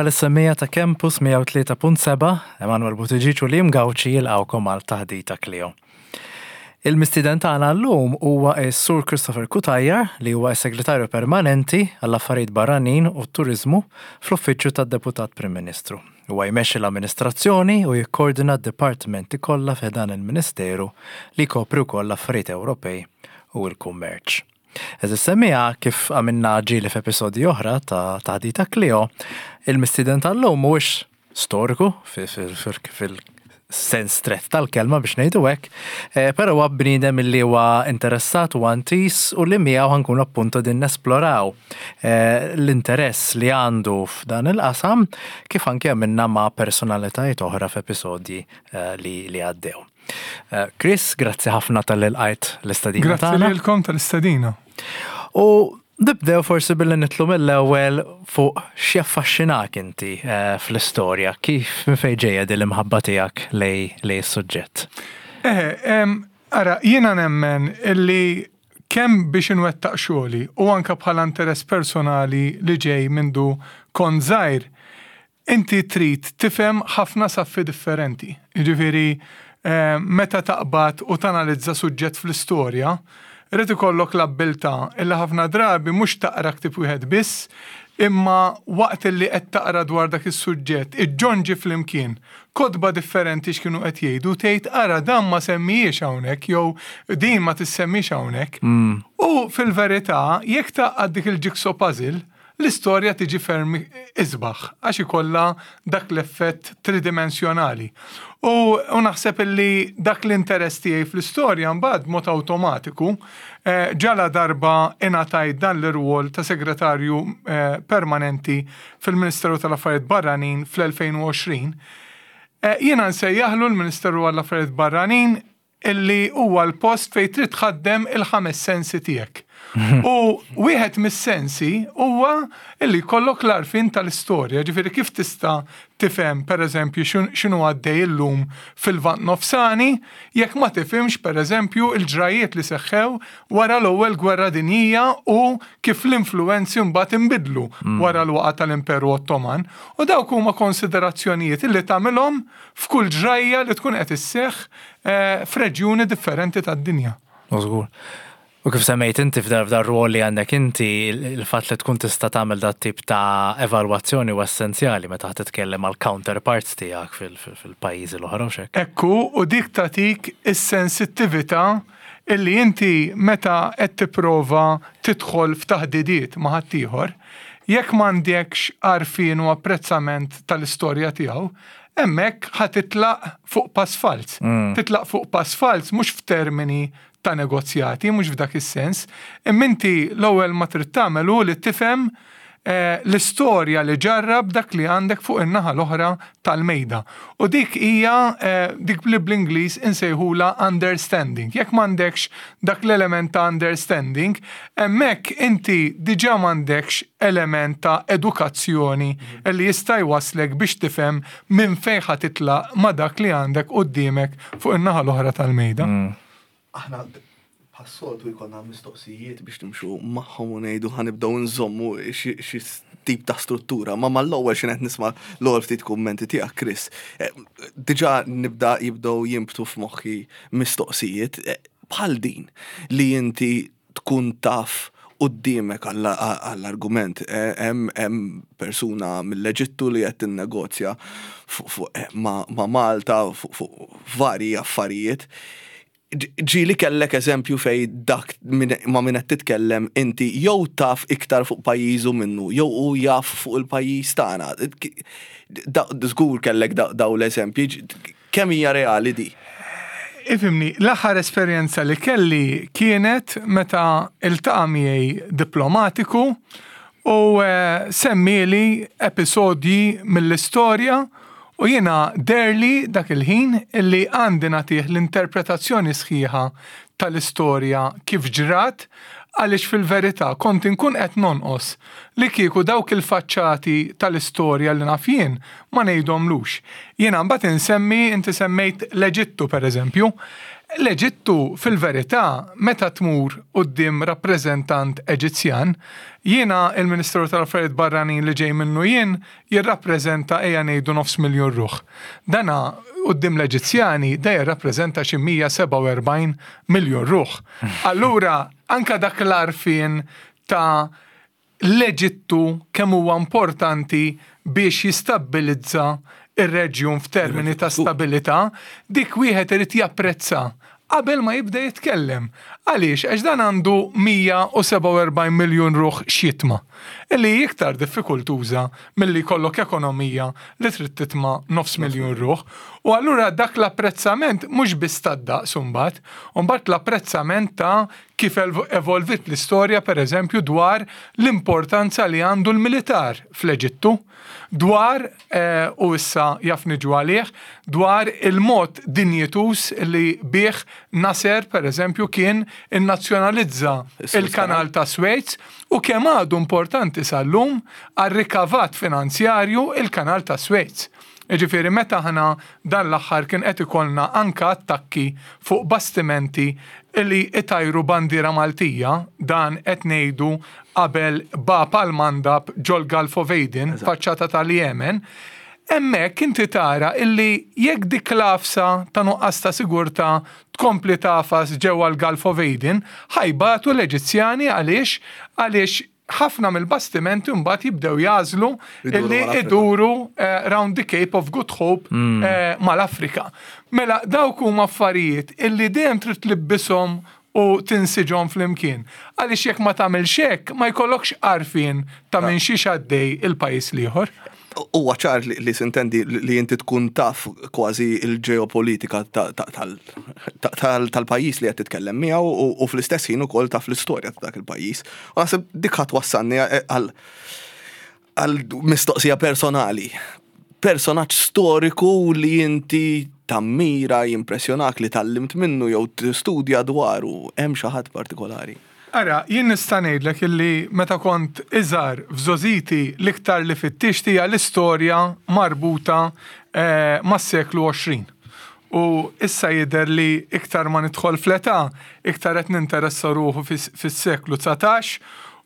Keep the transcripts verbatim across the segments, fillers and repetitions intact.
Merħba lis-semmiegħa ta' Campus mija u tlieta punt sebgħa, Emanuel Buttigieg u Liam Gauci jilqgħukom għal Taħdita Klio. Il-mistieden tagħna llum huwa s-Sur Christopher Cutajar, li huwa s-Segretarju Permanenti għall-Affarijiet Barranin u Turizmu fl-Uffiċċju tad-Deputat Prim Ministru. Huwa jmexxi l-amministrazzjoni u jikkoordina d-dipartimenti kollha f'dan il-Ministeru li jkopri wkoll l-affarijiet Ewropej u l-kummerċ. Għeżież semmiegħa, kif għamilna ġieli f'episodji oħra ta' Taħdita Klio, il-mistieden tal-lum mhuwiex storiku fil-sens strett tal-kelma, biex ngħidu hekk, eh, però huwa bniedem li huwa interessat u antis u li miegħu ħa nkunu appunto din nesploraw eh, l-interess li għandu f'dan il-qasam, kif anke għamilna ma' personalitajiet oħra f'episodji eh, li, li għaddew. Chris, grazzi ħafna talli lqajt l-istedina Grazzi tagħna. lilkom tal-istedina. U nibdew forsi billi nitilgħu mill-ewwel fuq x'jaffaxxinak inti eh, fl-istorja, kif minn fejn ġejja din l-imħabba tiegħek lejn lejn is-suġġett? Eħe, em, ara, jiena nemmen illi kemm biex inwettaq xogħli u anka bħala interess personali li ġej mindu kont żgħir, inti trid tifhem ħafna saffi differenti. Jiġifieri, eh, meta taqbad u tanalizza suġġett fl-istorja, irid ikollok l-abbiltà illi ħafna drabi mhux taqra ktib wieħed biss, imma waqt li qed taqra dwar dak is-suġġett, iġġonġi flimkien kotba differenti x'kienu qed jgħidu, tgħid, "Ara, dan ma semmijiex hawnhekk" jew "Din ma tissemmix hawnhekk." U fil-verità, jekk tgħaqqad dik il-jigsaw puzzle, l-istorja tiġi ferm isbaħ, għax ikollha dak l-effett tridimensjonali. U, u naħseb illi dak l-interess tiegħi fl-istorja mbagħad mod awtomatiku eh, ġala darba ingħatajt dan l-irwol ta' segretarju eh, permanenti fil-Ministeru tal-Affarijiet Barranin fl-elfejn u għoxrin. Eh, Jiena nsejjaħlu l-Ministeru għall-Affarijiet Barranin illi huwa l-post fejn trid tħaddem il-ħames sensi tiegħek. U wieħed mis-sensi huwa illi jkollok l-għarfien tal-istorja, ġifieri kif tista' tifhem, pereżempju, x'inhu għaddej illum fil-Lvant Nofsani jekk ma tifhimx, pereżempju, il-ġrajiet li seħħew wara l-Ewwel Gwerra Dinjija u kif l-influenzi mbagħad inbidlu wara l-waqa tal-Imperu Ottoman? U dawk huma konsiderazzjonijiet illi tagħmilhom f'kull ġrajja li tkun qed isseħħ eh, f'reġjuni differenti tad-dinja. Żgur. U kif semmejt inti, f'dar f'dar rwol li għandek inti, il-fatt li tkun tista' tagħmel dat tip ta' evalwazzjoni u essenzjali meta titkellem mal counterparts tiegħek fil-pajjiżi l-oħra u hekk. Ekku, u dik tatik is-sensittività illi inti meta qed tipprova tidħol f'taħdidiet ma' ħaddieħor, jekk m'għandekx għarfien u apprezzament tal-istorja tiegħu, hemmhekk ħa titlaq fuq pass falz. Titlaq fuq pass falz mhux f'termini ta' negozjati, mhux f'dak is-sens, imma inti l-ewwel ma trid tagħmel hu li tifhem eh, l-istorja li ġarrab dak li għandek fuq in-naħa l-oħra tal-mejda. U dik hija eh, dik li bl-Ingliż insejħula understanding. Jekk m'għandekx dak l-element ta' understanding, hemmhekk inti diġà m'għandekx element ta' edukazzjoni li jista' jwaslek biex tifhem minn fejn ħa titlaq ma' dak li għandek quddiemek fuq in-naħa l-oħra tal-mejda. Aħna bħas-soltu jkollna mistoqsijiet biex nimxu magħhom u ngħidu ħa nibdew nżommu xi xi tip ta' struttura, ma mal-ewwel xi qed nisma' l-ewwel ftit kummenti tiegħek, Chris. eh, Diġà nibda jibdew jinbtu f'moħħi mistoqsijiet eh, bħal din li inti tkun taf quddiemek għall-argument eh, hemm hemm persuna mill-Eġittu li qed tinnegozja fuq fuq, eh, ma' ma' Malta fuq fuq varji affarijiet. Ġieli kellek eżempju fej dak min- ma' min qed titkellem inti jew taf iktar fuq pajjiżu minnu, jew hu jaf fuq il-pajjiż tagħna? Da- Żgur kellek da- daw l-eżempji, kemm hija reali di? Ifhimni, l-aħħar esperjenza li kelli kienet meta iltaqa' miegħi diplomatiku u eh, semmili episodji mill-istorja u jiena deherli dak il-ħin illi għandi nagħtih l-interpretazzjoni sħiħa tal-istorja kif ġrat, għaliex fil-verità kont inkun qed nonqos li kieku dawk il-faċċati tal-istorja li naf jien ma ngħidhomlux. Jiena mbagħad insemmi, inti semmejt l-Eġittu, pereżempju. L-Eġittu fil-verità meta tmur quddiem rappreżentant Eġizzjan, jiena il-Ministru tal-Affarijiet Barranin li ġej minnu jien jirrappreżenta ejja ngħidu nofs miljun ruħ. Dana quddiem l-Eġizzjani da jirrappreżenta xi mija u sebgħa u erbgħin miljun ruħ. Allura anka dak l-għarfien ta' l-Eġittu kemm huwa importanti biex jistabbilizza ir-reġjun f'termini ta' stabilità, dik wieħed irid japprezza qabel ma jibda jitkellem. Għaliex? Għax dan għandu mija u sebgħa u erbgħin miljun ruħ x'jitma'. Illi iktar diffikultuża milli jkollok ekonomija li trid titma' nofs miljun ruħ. U allura dak l-apprezzament mhux biss tad-daqs imbagħad, mbagħad l-apprezzament ta' kif evolvit l-istorja, per eżempju, dwar l-importanza li għandu l-militar fl-Eġittu, dwar, eh, u issa jaf niġu għalih, dwar il-mod dinjituż li bih Nasser, per eżempju, kien innazzjonalizza il-kanal ta' Suez u kemm għadu importanti sal-lum għal-rikavat finanzjarju il-kanal ta' Suez. Ġifieri, meta ħana dan l-aħħar kien qed ikollna anka attakki fuq bastimenti li itajru bandiera Maltija, dan qed ngħidu qabel Bab al-Mandab ġol Gulf of Aden, faċċata tal-Jemen, hemmhekk inti tara illi jekk dik l-għafsa ta' nuqqas ta' sigurtà tkompli tagħfas ġewwa l-Gulf of Aden, ħa jbatu l-Eġizzjani. Għaliex? Għaliex ħafna mill-bastimenti mbagħad jibdew jagħżlu illi iduru uh, round the Cape of Good Hope mm. uh, mal-Afrika. Mela dawk huma affarijiet illi dejjem trid tlibbishom u tinsiġhom flimkien. Għaliex jekk ma tagħmilx hekk, ma jkollokx għarfien ta' minn xiex għaddej il-pajjiż l-ieħor. Huwa ċar li sintendi li inti tkun taf kważi il-ġeopolitika tal-pajjiż li qed titkellem miegħu u fl-istess ħin ukoll taf l-istorja ta' dak il-pajjiż. U naħseb dik ħadd wassalni għal mistoqsija personali. Personaġġ storiku li inti tammira, jimpressjonak, li tgħallimt minnu jew tistudja dwaru, hemm xi ħadd partikolari? Ara, jien nista' ngħidlek illi meta kont iżgħar, f'żgħożiti, l-iktar li fittixt hija l-istorja marbuta eh, mas-seklu għoxrin. U issa jidher li iktar ma nidħol fl-età, iktar qed ninteressa ruħu fis-seklu dsatax,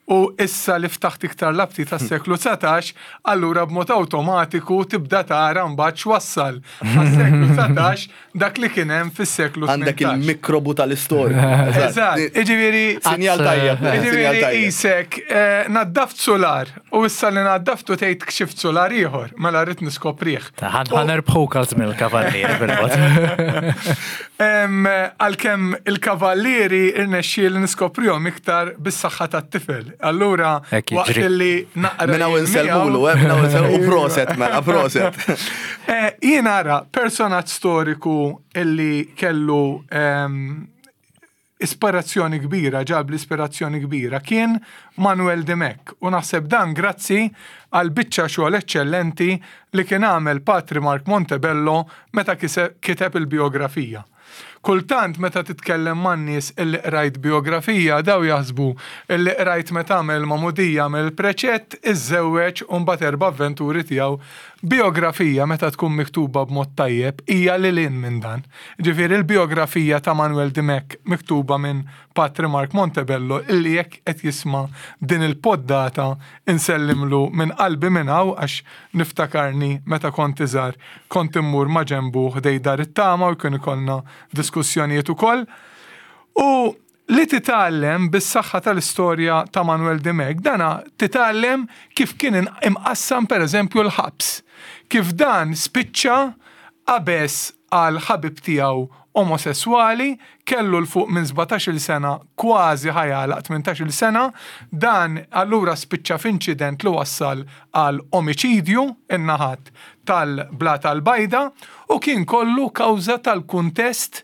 u issa li ftaħt iktar l-aptit tas-seklu dsatax, allura b'mod awtomatiku tibda tara mbagħad x'wassal għas-seklu dsatax dak li kien hemm fis-seklu Għandek il-mikrobu tal-istorja. Eżatt, jiġifieri Sinjal tajjeb. Jiġifieri qisek eh, naddaft solar u issa li naddaftu tgħid kxift solar ieħor, mela rrid niskoprih. Ħa nerbħuk għal żmien il-kavallieri bil-mod. Għalkemm il-kavallieri irnexxieli niskoprihom iktar bis-saħħa tat-tifel. Allura, waqt li naqra. Mela u nsellmulu, eh, mela u proset, mela, proset. Eh, jien ara, personaġġ storiku illi kellu ispirazzjoni kbira, ġab l-ispirazzjoni kbira, kien Manuel Dimech. U naħseb dan grazzi għal biċċa xogħol eċċellenti li kien għamel Patri Mark Montebello meta kiteb il-biografija. Kultant meta titkellem man nies illi qrajt biografija, daw jaħsbu illi qrajt meta għamel magħmudija, għamel preċett, iżżewweġ u mbagħad erba' avventuri tiegħu. Biografija meta tkun miktuba b'mod tajjeb hija lil hinn minn dan. Ġifieri il-biografija ta' Manuel Dimech miktuba minn Patri Mark Montebello, illi jekk qed jisma' din il-poddata insellimlu minn qalbi minn hawn, għax niftakarni meta kont iżgħar kont immur ma' ġenbu ħdejn Dar it-Tama u jkun ikollna diskussjonijiet ukoll. U li titgħallem bis-saħħa tal-istorja ta' Manuel Dimech, dana titgħallem kif kien imqassam, per eżempju, l-ħabs. Kif dan spiċċa qabeż għal ħabib tiegħu omosessuali, kellu 'l fuq minn sbatax-il sena, kważi ħa jagħlaq tmintax-il sena, dan allura spiċċa f'inċident li wassal għal omiċidju in-naħat tal-Blata l-Bajda u kien kollu kawża tal-kuntest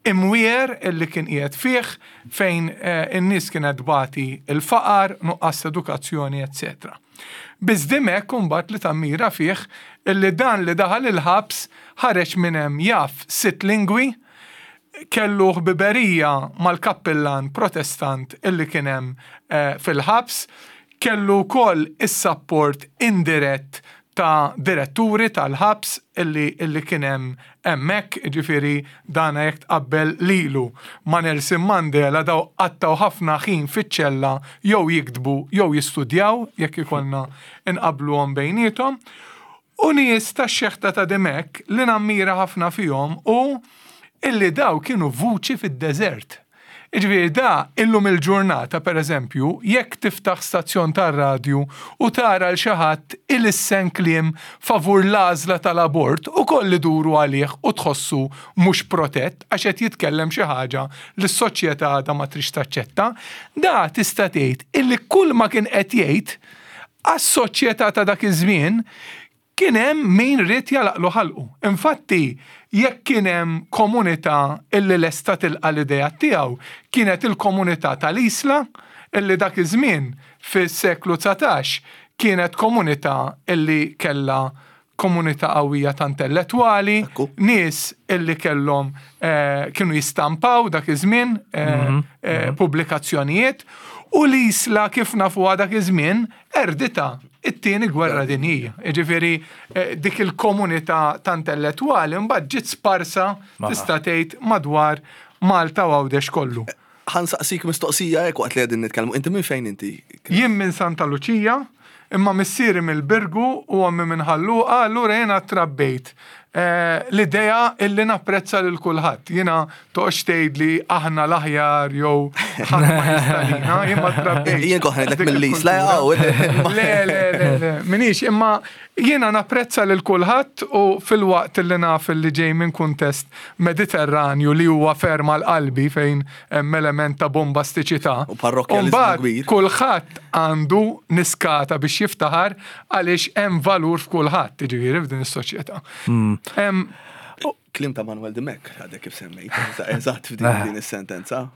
imwiegħer illi kien qiegħed fih fejn eh, in-nies kienet tbati il-faqar, nuqqas edukazzjoni, eċċetera. Biss Dimech mbagħad li tammira fih illi dan li daħal il-ħabs ħareġ minn hemm jaf sitt lingwi, kellu ħbiberija mal-kappillan protestant illi kien hemm eh, fil-ħabs, kellu wkoll is-support indirett Ta' diretturi tal-ħabs illi, illi kien hemm hemmhekk, ġifieri dana jekk tqabbel lilu ma' Nelson Mandela, daw qattgħu ħafna ħin fiċ-ċella jew jiktbu jew jistudjaw, jekk ikollna inqabluhom bejniethom. U nies ta' xeħta ta' Dimech li nammira ħafna fihom u illi daw kienu vuċi fid-deżert. Iġifieri da illum il-ġurnata, per eżempju, jekk tiftaħ stazzjon tar-radju u tara l xi ħadd ilissen kliem favur l-għażla tal-abort u koll iduru għalih u tħossu mhux protett għax qed jitkellem xi ħaġa li s-soċjetà għadha ma trix taċċetta, da tista' tgħid illi kull ma kien qed jgħid għas-soċjetà ta' dak iż-żmien kien hemm min ried jagħlaqlu ħalqu. Infatti, jekk kien hemm komunità illi lesta tilqa l-idea tiegħu, kienet il-komunità tal-Isla, illi dak iż-żmien fis-seklu dsatax kienet komunità illi kella komunità qawwija ta' intellettwali, Ekku. nies illi kellhom eh, kienu jistampaw dak iż-żmien eh, eh, pubblikazzjonijiet u l-Isla, kif nafuha, dak iż-żmien qerditha it-tieni gwerra dinjija. Jiġifieri eh, dik il-komunità ta' intellettwali mbagħad ġiet sparsa, tista' tgħid, madwar Malta u Għawdex kollu. Ħa nsaqsik mistoqsija hekk waqt li qegħdin nitkellmu. Inti minn fejn inti? Jien minn Santa Luċija, imma missieri mill-Birgu u ommi minn Ħal Luqa, allura jiena trabbejt eh, l-idea illi napprezza lil kulħadd. Jiena toqgħodx tgħid li aħna l-aħjar jew ħadd ma jistalina, jien ma trabbejt. Jien kont ngħidlek dik mill-Isla, il-kultura. jaw. Le, le, le, le, minix, imma jiena napprezza lil kulħadd u filwaqt li naf li ġej minn kuntest Mediterranju li huwa ferma l-qalbi fejn hemm element ta' bombastiċità. U parrokkjaliżmu Umbagħad kbir. kulħadd għandu niskata biex jiftaħar għaliex hemm valur f'kulħadd, jiġifieri f'din is-soċjetà. Em, Kliem ta' Manuel Dimech, għadek kif semmejt, eżatt f'din din is-sentenza.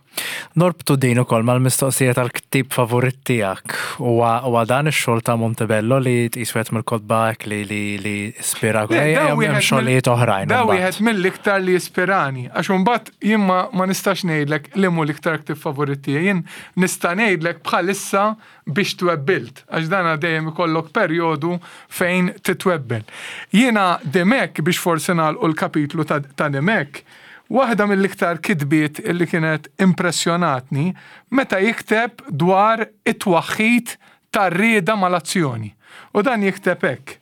Norbtu din ukoll mal-mistoqsija tal-ktib favorit tiegħek. Huwa huwa dan ix-xogħol ta' Montebello li tqis wieħed mill-kotba li li li ispira Le, da hemm wieħed mill- xogħlijiet oħrajn. Da imbagħad. wieħed mill-iktar li jispirani, għax imbagħad jien ma, ma nistax ngħidlek li mhu l-iktar ktib favorit tiegħi. Jien nista' ngħidlek bħalissa biex twebbilt, għax dana dejjem ikollok perjodu fejn titwebbel. Jiena Dimech, biex forsi nagħlqu l-kapitlu ta', ta' Dimech, waħda mill-iktar kitbiet illi kienet impressjonatni meta jikteb dwar it-twaħħid tar-rieda mal-azzjoni. U dan jikteb hekk: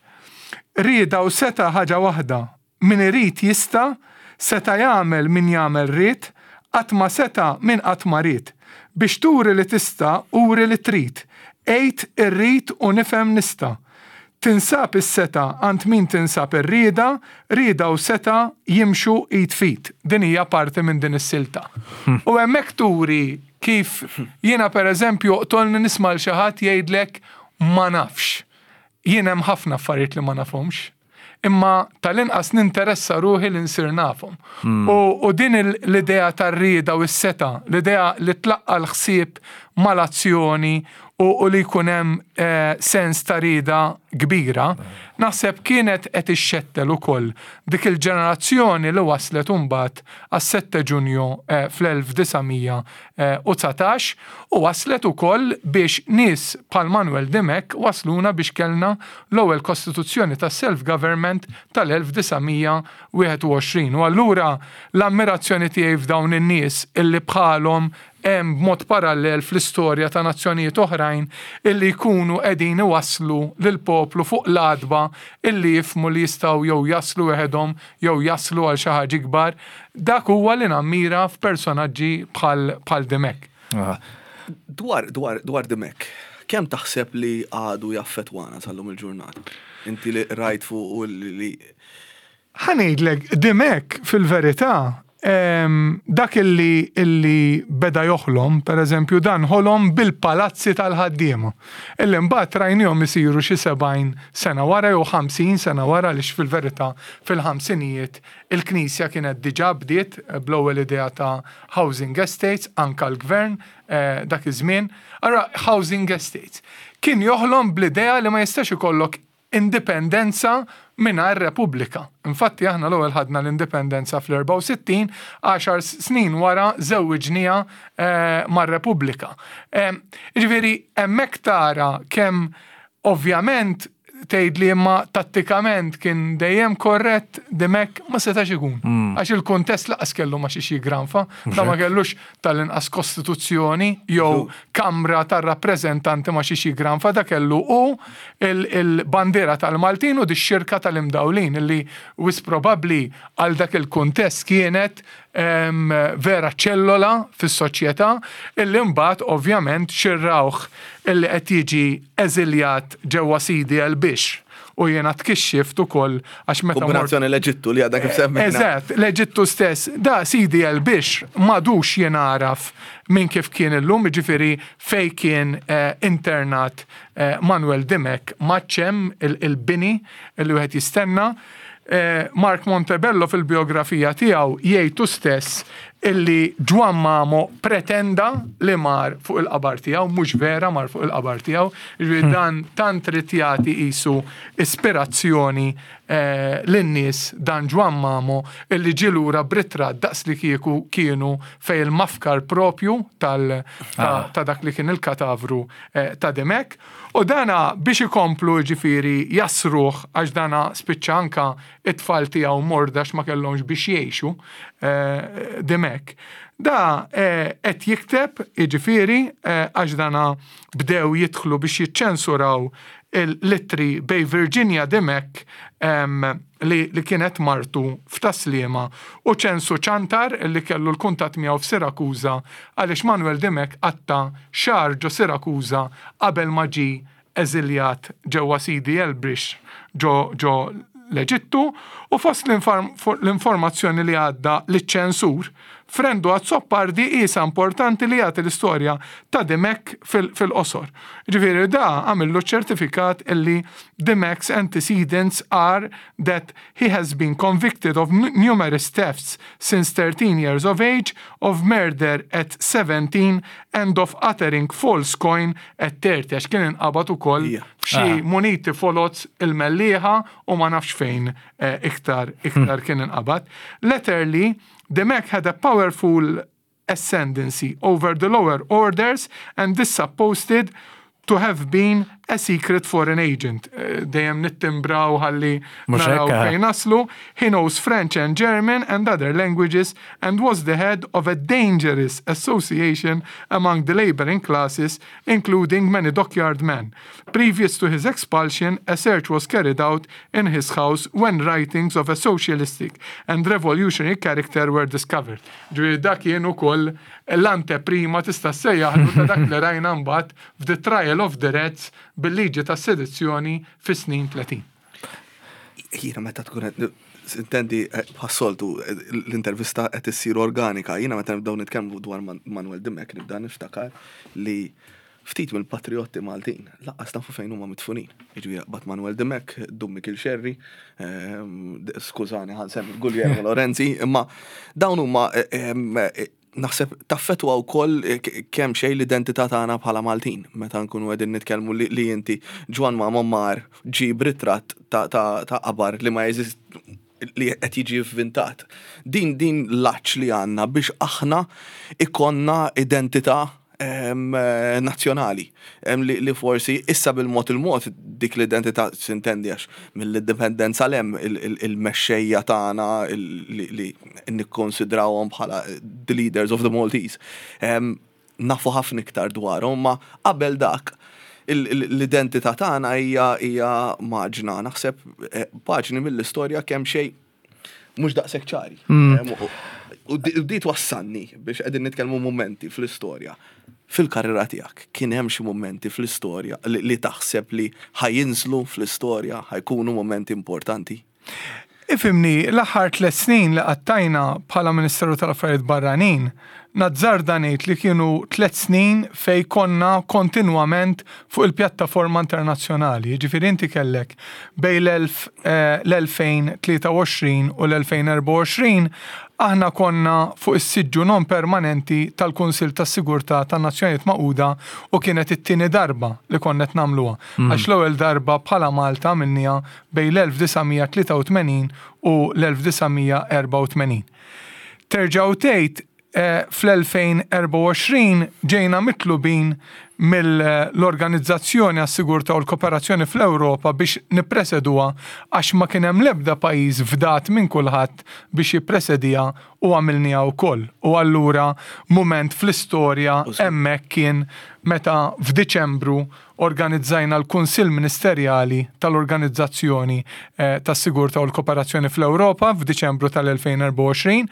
"Rieda u setgħa ħaġa waħda, min irid jista', seta' jagħmel min jagħmel ried, qatt ma seta' min qatt ma ried. Biex turi li tista', uri li trid. Għid irrid u nifhem nista'. Tinsab is-setgħa għand min tinsab ir-rieda, rieda u setgħa jimxu id f'id." Din hija parti minn din is-silta. U hemmhekk turi kif jiena, per eżempju, tolni nisma' l xi ħadd jgħidlek "ma nafx". Jien hemm ħafna affarijiet li ma nafhomx. Imma tal-inqas ninteressa ruħi li nsir nafhom. U, u din il- l-idea tar-rieda u s-setgħa, l-idea li tlaqqa l-ħsieb mal-azzjoni u, u li jkun hemm eh, sens ta' rieda kbira, naħseb kienet qed ixxettel ukoll dik il-ġenerazzjoni li waslet imbagħad għas-sette Ġunju eh, fl-elf disa' mija u dsatax u waslet ukoll biex nies bħal Manuel Dimech wasluna biex kellna l-ewwel kostituzzjoni ta' self-government tal-elf disa' mija wieħed u għoxrin. U allura l-ammirazzjoni tiegħi f'dawn in-nies illi bħalhom hemm b'mod parallel fl-istorja ta' nazzjonijiet oħrajn illi jkunu qegħdin iwasslu lil poplu fuq l-għatba illi jifhmu li jistgħu jew jaslu weħedhom jew jaslu għal xi ħaġa ikbar, dak huwa li nammira f'personaġġi bħal bħal Dimech. Ah. Dwar, dwar, dwar Dimech, kemm taħseb li għadu jaffetwana sal-lum il-ġurnata? Inti li rajt fuq u li li Ħa ngħidlek, Dimech fil-verità, em, dak illi, illi beda joħlom, per eżempju, dan ħolom bil-palazzi tal-ħaddiema. Illi mbagħad rajnihom isiru xi sebgħin sena wara jew ħamsin sena wara, għaliex fil-verità fil-ħamsinijiet il-Knisja kienet diġà bdiet bl-ewwel idea ta' housing estates, anka l-gvern eh, dak iż-żmien. Ara housing estates. Kien joħlom bl-idea li ma jistax ikollok indipendenza mingħajr Repubblika. Infatti aħna l-ewwel ħadna l-indipendenza fl-erbgħa u sittin, għaxar snin wara żewwiġnieha eh, mar-Repubblika. Eh, Ġifieri hemmhekk tara kemm ovvjament Tgħid li imma tattikament kien dejjem korrett Dimech, ma setax ikun. Għax il-kuntest lanqas kellu ma xiex jigranfa, da ma kellux tal-inqas kostituzzjoni jew kamra tar-rappreżentanti ma xiex jigranfa, da kellu u il-bandiera tal-Maltin u di xirka tal-imdawlin illi wisq probabbli għal dak il-kuntest kienet em, vera ċellola fis-soċjetà illi mbagħad ovvjament xirrawh illi qed jiġi eżiljat ġewwa Sidi El Bix u jiena tkixxift ukoll għax meta mort Kombinazzjoni l-Eġittu li għadha kif semmejna. Eżatt, l-Eġittu stess, da Sidi El Bix m'għadux jingħaraf minn kif kien illum, ġifieri fej kien eh, internat eh, Manuel Dimech maċċem il-bini il wieħed jistenna. Eh, Mark Montebello fil-biografija tiegħu jgħidu stess illi Ġwann Mamo pretenda li mar fuq il-qabar tiegħu, mhux vera mar fuq il-qabar tiegħu, ġifieri dan tant trid jagħti qisu ispirazzjoni eh, lin-nies dan Ġwann Mamo illi ġie lura b'ritratt daqs li kieku kienu fej il-mafkar propju tal ta, ta' dak li kien il-katavru eh, ta' Dimech. U dana biex ikomplu ġifieri jasruħ għax dana spiċċa anka it-tfal tiegħu morda ma kellhomx biex jgħixu eh, Dimech. Da eh, qed jikteb jiġifieri eh, għax dana bdew jidħlu biex jiċċensuraw il-ittri bejn Virginia Dimech em, li, li kienet martu f'Tas-Sliema u Ċensu Ċantar li kellu l-kuntat miegħu f'Sirakuza għaliex Manuel Dimech qatta' xahar ġo Sirakuza qabel ma ġie eżiljat ġewwa Sidi El Bix ġo, ġo l-Eġittu u fost l-informazzjoni li għadda liċ-ċensur Frendu Azzopardi isa importanti li jagħti l-istorja ta' Dimech fil-qosor. Ġifieri da għamillu ċertifikat illi Dimech's antecedents are that he has been convicted of numerous thefts since thirteen years of age, of murder at seventeen and of uttering false coin at thirty, għax kien inqabad ukoll Ija. f'xi muniti foloz il-Mellieħa u ma nafx fejn eh, iktar iktar kien inqabad. Latterly, Dimech had a powerful ascendancy over the lower orders and this supposed to have been a secret foreign agent. Eh, Dejjem nittimbraw ħalli Mhux naraw hekk, eh? fejn naslu. He knows French and German and other languages and was the head of a dangerous association among the laboring classes, including many dockyard men. Previous to his expulsion, a search was carried out in his house when writings of a socialistic and revolutionary character were discovered. Ġifieri dak kien ukoll l-anteprima tista' ssejjaħlu ta' dak li rajna mbagħad f'The Trial of the Reds bil-liġi ta' sedizzjoni fis-snin tletin. Jiena meta tkun qed intendi eh, bħas-soltu eh, l-intervista qed issir organika, jiena meta nibdew nitkellmu dwar Man- Manuel Dimech nibda niftakar li ftit mill-patriotti Maltin lanqas nafu fejn huma midfunin. Jiġifieri bat Manuel Dimech, Dun Mikiel Xerri, ehm, skużani ħa nsemmi Guglielmo Lorenzi, imma dawn huma eh, ehm, eh, naħseb taffetwa wkoll eh, k- kemm xejn l-identità tagħna bħala Maltin meta nkunu qegħdin nitkellmu li, li inti Ġwann Mamo mar ġib ritratt ta' ta' ta' qabar li ma jeżist li qed jiġi vvintat. Din din l-għatx li għandna biex aħna ikollna identità em, eh, nazzjonali Em, li, li forsi issa bil-mod il-mod dik l-identità sintendi għax mill-indipendenza lem il-mexxejja tagħna il- li, li nikkonsidrawhom bħala the leaders of the Maltese. Em, nafu ħafna iktar dwarhom, ma qabel dak il- il- l-identità tagħna hija hija maġna naħseb eh, paġni mill-istorja kemm xejn mhux daqshekk ċari. Em, u- U di u di twassalni biex qegħdin nitkellmu momenti fl-istorja. Fil-karriera tiegħek kien hemm xi momenti fl-istorja li, li taħseb li ħa jinżlu fl-istorja, ħa jkunu momenti importanti. Ifhimni, l-aħħar tliet snin li qattajna bħala Ministeru tal-Affarijiet Barranin, nazzarda ngħid li kienu tliet snin fej konna kontinwament fuq il-pjattaforma internazzjonali. Ġifieri inti kellek bejn l-elfejn tlieta u għoxrin u l-elfejn erbgħa u għoxrin aħna konna fuq is-siġġu non permanenti tal-Kunsill tas-Sigurtà tan-Nazzjonijiet Magħquda u kienet it-tieni darba li konna qed nagħmluha. Għax l-ewwel darba bħala Malta għamilnieha bejn l-elf disa' mija tlieta u tmenin u l-elf disa' mija erbgħa u tmenin. Terġaw tgħid eh, fl-elfejn erbgħa u għoxrin ġejna mitlubin Mill-Organizzazzjoni għas-Sigurtà u l-Kooperazzjoni fl-Ewropa biex nippreseduha, għax ma kien hemm l-ebda pajjiż fdat minn kulħadd biex jippresedija, u għamilniha wkoll. U allura mument fl-istorja hemmhekk kien meta f'Diċembru organizzajna l-Kunsill Ministerjali tal-Organizzazzjoni eh, tas-Sigurtà u l-Kooperazzjoni fl-Ewropa f'Diċembru tal-elfejn u erbgħa u għoxrin,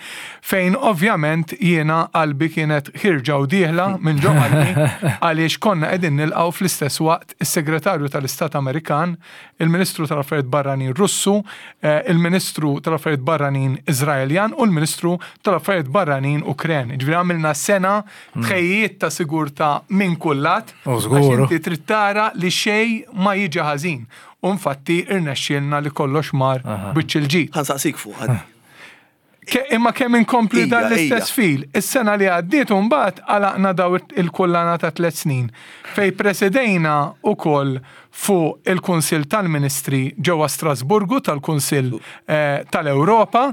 fejn ovvjament jiena qalbi kienet ħierġa u dieħla minn ġo qalbi, għaliex konna qegħdin nilqgħu fl-istess waqt is-Segretarju tal-Istat Amerikan, il-Ministru tal-Affarijiet Barranin Russu, eh, il-Ministru tal-Affarijiet Barranin Iżraeljan u l-Ministru tal-Affarijiet Barranin Ukren. Ġifieri għamilna sena tħejjiet ta' sigurtà minn kull lat. U żgur. Għax inti trid tara li xej ma jiġi ħażin. U infatti irnexxielna li kollox mar biċ il-ġid. Ħa nsaqsik fuq għad. Ke- Imma kemm inkompli dan Ija, l-istess ija. fil. Is-sena li għaddiet mbagħad għalaqna daw il-kullana ta' tliet snin fej presidejna ukoll fuq il-Kunsill tal-Ministri ġewwa Strasburgu tal-Kunsill eh, tal-Ewropa.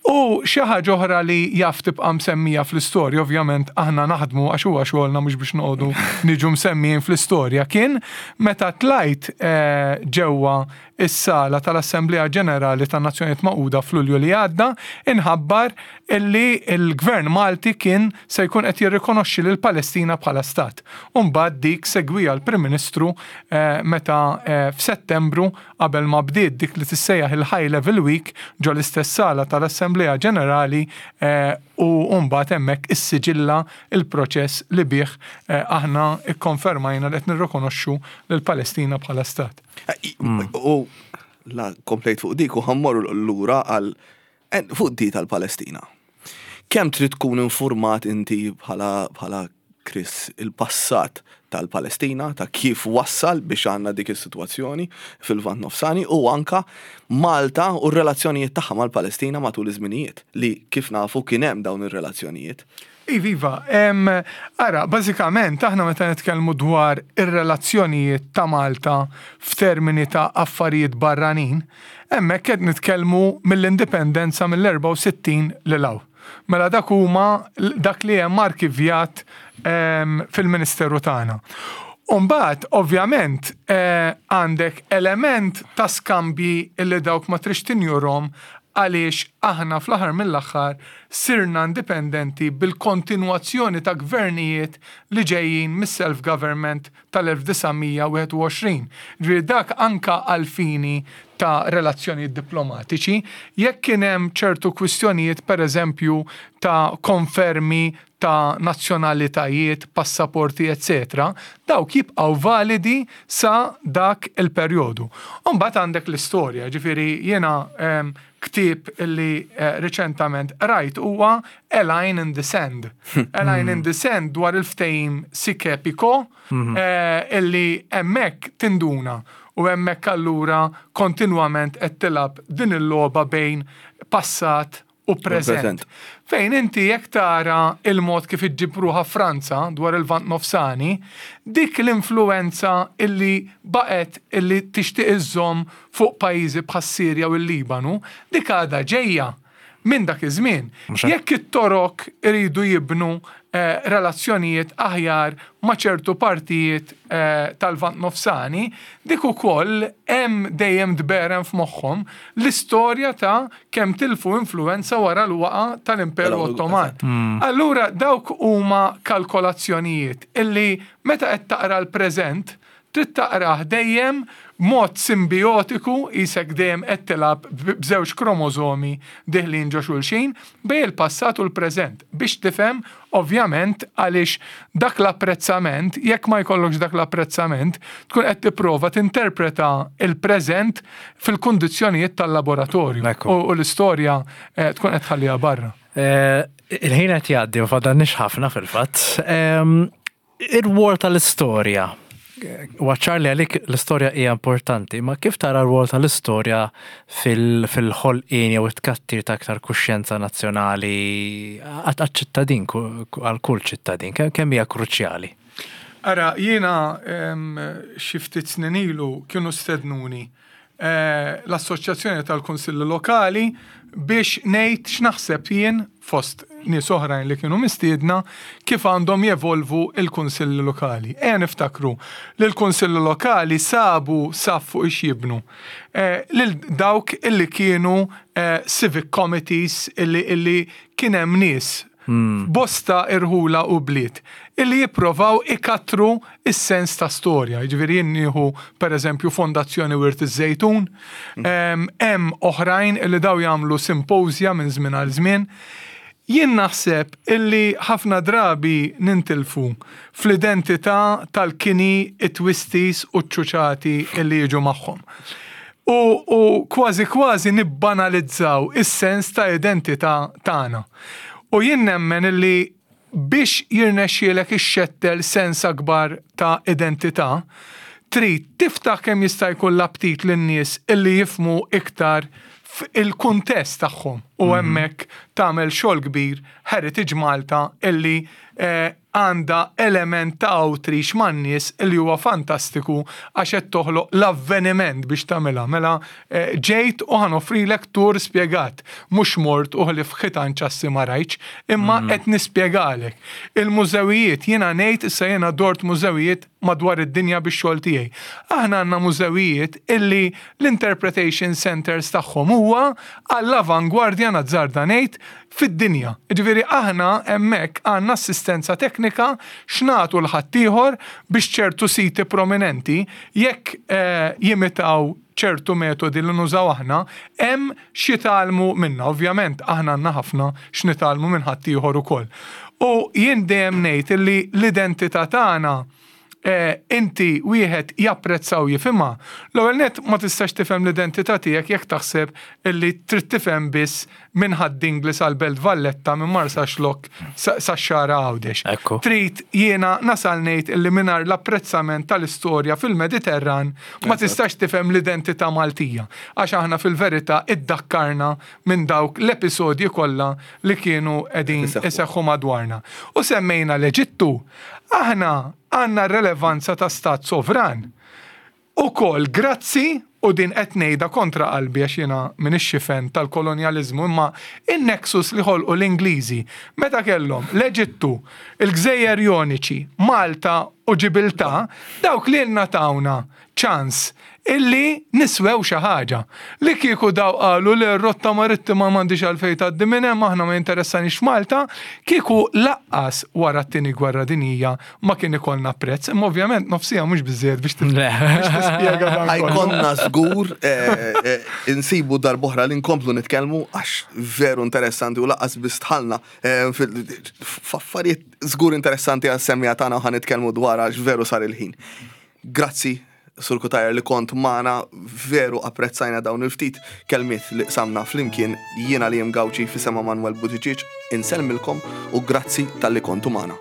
U xi ħaġa oħra li jaf tibqa' msemmija fl-istorja, ovvjament aħna naħdmu għax huwa xogħolna, mhux biex noqogħdu niġu msemmijin fl-istorja, kien meta tlajt eh, ġewwa is-sala tal-Assemblea Ġenerali tan-Nazzjonijiet Magħquda f'Lulju li għadda, inħabbar illi il-Gvern Malti kien se jkun qed jirrikonoxxi lil Palestina bħala stat. U mbagħad dik segwija l-Prim Ministru eh, meta eh, f'Settembru, qabel ma bdiet dik li tissejjaħ il-High Level Week ġo l-istess sala tal-Assemblea Ġenerali, eh, u mbagħad hemmhekk issiġilla il-proċess li bih eh, aħna ikkonfermajna li qed nirrikonoxxu lil Palestina bħala stat. U la komplejt fuq dik u ħa mmorru lura għal eh, fuq di tal-Palestina. Kemm trid tkun informat inti bħala bħala Chris il-passat tal-Palestina, ta' kif wassal biex għandna dik is-sitwazzjoni fil-Lvant Nofsani u anka Malta u r-relazzjonijiet tagħha mal-Palestina matul iż-żminijiet, li kif nafu kien hemm dawn ir-relazzjonijiet? Iviva, em, ara, bażikament aħna meta nitkellmu dwar ir-relazzjonijiet ta' Malta f'termini ta' affarijiet barranin, hemmhekk qed nitkellmu mill-indipendenza mill-erbgħa u sittin lil hawn. Mela dak huma dak li hemm arkivjat em, fil-Ministeru tagħna. Umbagħad, ovvjament, eh, għandek element ta' skambji illi dawk ma trix tinjurhom, għaliex aħna fl-aħħar mill-aħħar sirna indipendenti bil-kontinwazzjoni ta' gvernijiet li ġejjin mis-self-government tal-elf disa' mija u wieħed u għoxrin. Ġifieri dak anka għal-fini ta' relazzjonijiet diplomatiċi, jekk kien hemm ċertu kwistjonijiet, per eżempju, ta' konfermi ta' nazzjonalitajiet, passaporti, eccetera, dawk jibqgħu validi sa dak il-perjodu. Umbagħad għandek l-istorja, ġifieri jiena em, ktieb illi eh, riċentament rajt huwa A Line in the Sand. A Line in the Sand dwar il-ftehim Sykes-Picot eh, illi hemmhekk tinduna u hemmhekk allura kontinwament qed tilgħab din il-logħba bejn passat u preżent. Preżent. Fejn inti jekk tara il-mod kif iġġib ruħha Franza dwar il-Lvant Nofsani, dik l-influenza illi baqet illi tixtieq iżżomm fuq pajjiżi bħas-Sirja u l-Libanu, dik għadha ġejja minn dak iż-żmien. Mhux hekk? Jekk it-Torok iridu jibnu eh, relazzjonijiet aħjar ma' ċertu partijiet eh, tal-Lvant Nofsani, dik ukoll hemm dejjem tberren f'moħħhom l-istorja ta' kemm tilfu influenza wara l-waqa tal-Imperu Tal- Ottoman. Allura dawk huma kalkolazzjonijiet illi meta qed taqra l-preżent trid taqrah dejjem mod simbiotiku, qisek dejjem qed tilgħab b'żewġ kromożomi deħlin ġo xulxin bejn il-passat u l-preżent biex tifhem, ovvjament, għaliex dak l-apprezzament, jekk ma jkollokx dak l-apprezzament, tkun qed tipprova tinterpreta il-preżent fil-kundizzjonijiet tal-laboratorju Ekku. u, u l-istorja eh, tkun qed tħalliha barra. Eh, Il-ħin qed jgħaddi u fadalniex ħafna fil-fatt. Em, Ir-rwol tal-istorja. Huwa ċar li għalik l-istorja hija importanti, ma kif tara r-rwol tal-istorja fil- fil-ħolqien jew it-tkattir ta' aktar kuxjenza nazzjonali għal ċittadin, għal kull ċittadin, kemm kemm hija kruċjali? Ara, jiena em, xi ftit snin ilu kienu stednuni eh, l-Assoċjazzjoni tal-Kunsilli Lokali biex ngħid x'naħseb jien, fost nies oħrajn li kienu mistiedna, kif għandhom jevolvu il-kunsilli lokali. Ejja niftakru li l-kunsilli lokali sabu saf fuq ix jibnu. Eh, lil dawk illi kienu eh, civic committees illi, illi kien hemm nies bosta irħula u bliet illi jipprovaw ikatru is-sens ta' storja. Jiġifieri jien nieħu, per eżempju, Fondazzjoni Wirt iż-Żejtun, em, hemm oħrajn illi daw jagħmlu simposja minn żmien għal żmien. Jien naħseb illi ħafna drabi nintilfu fl-identità tal-kini, it-twisties u ċ-ċuċati illi jiġu magħhom. U, u kważi kważi nibbanalizzaw is-sens ta' identità tagħna. U jien nemmen illi biex jirnexxielek ixxettel sens akbar ta' identità, trid tiftaħ kemm jista' jkun l-aptit lin-nies illi jifhmu iktar il-kuntest tagħhom u hemmhekk tagħmel xogħol kbir Heritage Malta illi eh, għandha element ta' outreach man-nies illi huwa fantastiku għax qed toħloq l-avveniment biex tagħmilha. Mela eh, ġejt u ħa noffrilek tur spjegat, mhux mort u ħlif ħitan ċassi ma rajtx, imma qed nispjegalek. Il-mużewijiet, jiena ngħid, issa jiena dort mużewijiet madwar id-dinja bix-xogħol tiegħi. Aħna għandna mużewijiet illi l-interpretation centers tagħhom huwa għall-avangwardja, nazzarda ngħid, fid-dinja. Ġifieri aħna hemmhekk għandna assistenza teknika x'nagħtu 'l ħaddieħor biex ċertu siti prominenti, jekk eh, jimitaw ċertu metodi li nużaw aħna, hemm x'jitgħallmu minna. Ovvjament aħna għandna ħafna x'nitgħallmu minn ħaddieħor ukoll. U jien dejjem ngħid illi l-identità tagħna eh, inti wieħed japprezzaw jifhimha. L-ewwel net, ma tistax tifhem l-identità tiegħek jekk taħseb illi trid tifhem biss minn Ħad-Dingli sal-Belt Valletta, minn Marsaxlokk sa' Xagħra Għawdex. Ekku. Trid jiena nasal ngħid illi mingħajr l-apprezzament tal-istorja fil-Mediterran ma tistax tifhem l-identità Maltija. Għax aħna fil-verità iddakkarna minn dawk l-episodji kollha li kienu qegħdin Iseħħu. iseħħu madwarna. U semmejna l-Eġittu, aħna għandna relevanza ta' stat sovran. Ukoll grazzi, u din qed ngħidha kontra qalbi għax jiena m'iniex fan tal-kolonjaliżmu, imma in-nexus li ħolqu l-Ingliżi meta kellhom l-Eġittu, il-Gżejjer Joniċi, Malta u Ġibiltà, dawk li lna tawna ċans illi niswew xi ħaġa. Li kieku daw qalu li r-rotta marittima m'għandix għalfejn tgħaddi minn hemm, aħna ma jinteressanix Malta, kieku lanqas wara t-tieni gwerra dinjija ma kien ikollna prezz, imma ovvjament nofs siegħa mhux biżejjed biex tis- Le. biex tispjega dan kollu. Ħa jkollna żgur eh, eh, insibu darb'oħra li nkomplu nitkellmu għax veru interessanti u lanqas biss dħalna eh, fil- f'affarijiet żgur interessanti għas-semmiegħa tagħna u ħa nitkellmu dwar għax veru sar il-ħin. Grazzi, Sur Cutajar, li kont magħna, veru apprezzajna dawn il-ftit kelmiet li qsamna flimkien. Jiena li Gawċi, f'isem Manuel Buttigieg, insellmilkom u grazzi talli kontu magħna.